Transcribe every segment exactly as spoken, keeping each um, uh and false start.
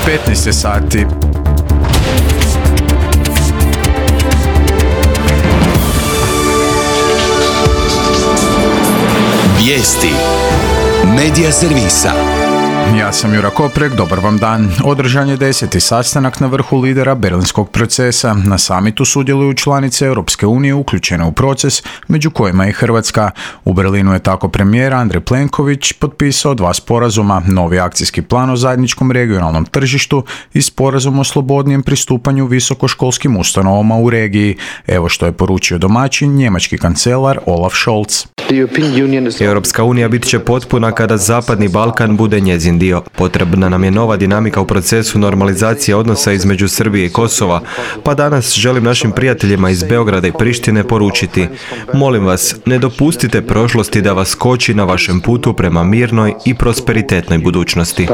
petnaest je sati. Vijesti Medija servisa. Ja sam Jura Koprek, dobar vam dan. Održan je deseti sastanak na vrhu lidera Berlinskog procesa. Na samitu sudjeluju članice Europske unije uključene u proces, među kojima i Hrvatska. U Berlinu je tako premijer Andrej Plenković potpisao dva sporazuma, novi akcijski plan o zajedničkom regionalnom tržištu i sporazum o slobodnijem pristupanju visokoškolskim ustanovama u regiji. Evo što je poručio domaćin, njemački kancelar Olaf Scholz. Europska unija bit će potpuna kada Zapadni Balkan bude njezin dio. Potrebna nam je nova dinamika u procesu normalizacije odnosa između Srbije i Kosova, pa danas želim našim prijateljima iz Beograda i Prištine poručiti: molim vas, ne dopustite prošlosti da vas koči na vašem putu prema mirnoj i prosperitetnoj budućnosti.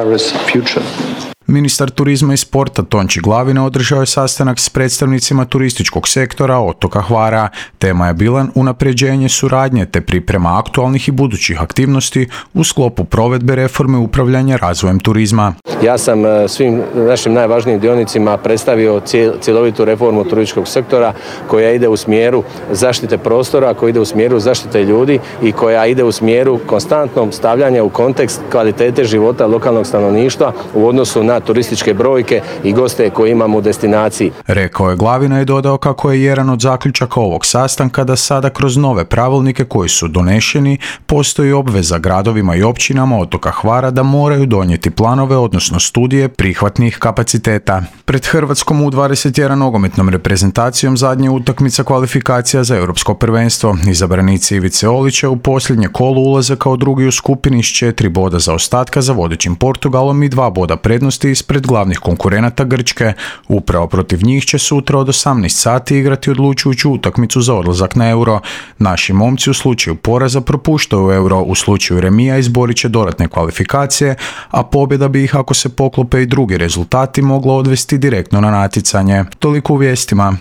Ministar turizma i sporta Tonči Glavina održao je sastanak s predstavnicima turističkog sektora otoka Hvara. Tema je bila unapređenje suradnje te priprema aktualnih i budućih aktivnosti u sklopu provedbe reforme upravljanja razvojem turizma. Ja sam svim našim najvažnijim dionicima predstavio cjelovitu reformu turističkog sektora koja ide u smjeru zaštite prostora, koja ide u smjeru zaštite ljudi i koja ide u smjeru konstantnog stavljanja u kontekst kvalitete života lokalnog stanovništva u odnosu na turističke brojke i goste koje imamo u destinaciji. Rekao je Glavina i dodao kako je jedan od zaključaka ovog sastanka da sada kroz nove pravilnike koji su donešeni postoji obveza gradovima i općinama otoka Hvara da moraju donijeti planove, odnosno studije prihvatnih kapaciteta. Pred Hrvatskom U dvadeset jedan nogometnom reprezentacijom zadnja utakmica kvalifikacija za europsko prvenstvo. Izabranici Ivice Olića u posljednje kolo ulaze kao drugi u skupini s četiri boda zaostatka za vodećim Portugalom i dva boda prednosti ispred glavnih konkurenata Grčke. Upravo protiv njih će sutra od osamnaest sati igrati odlučujuću utakmicu za odlazak na Euro. Naši momci u slučaju poraza propuštaju Euro, u slučaju remija izborit će dodatne kvalifikacije, a pobjeda bi ih, ako se poklope i drugi rezultati, mogla odvesti direktno na natjecanje. Toliko u vijestima.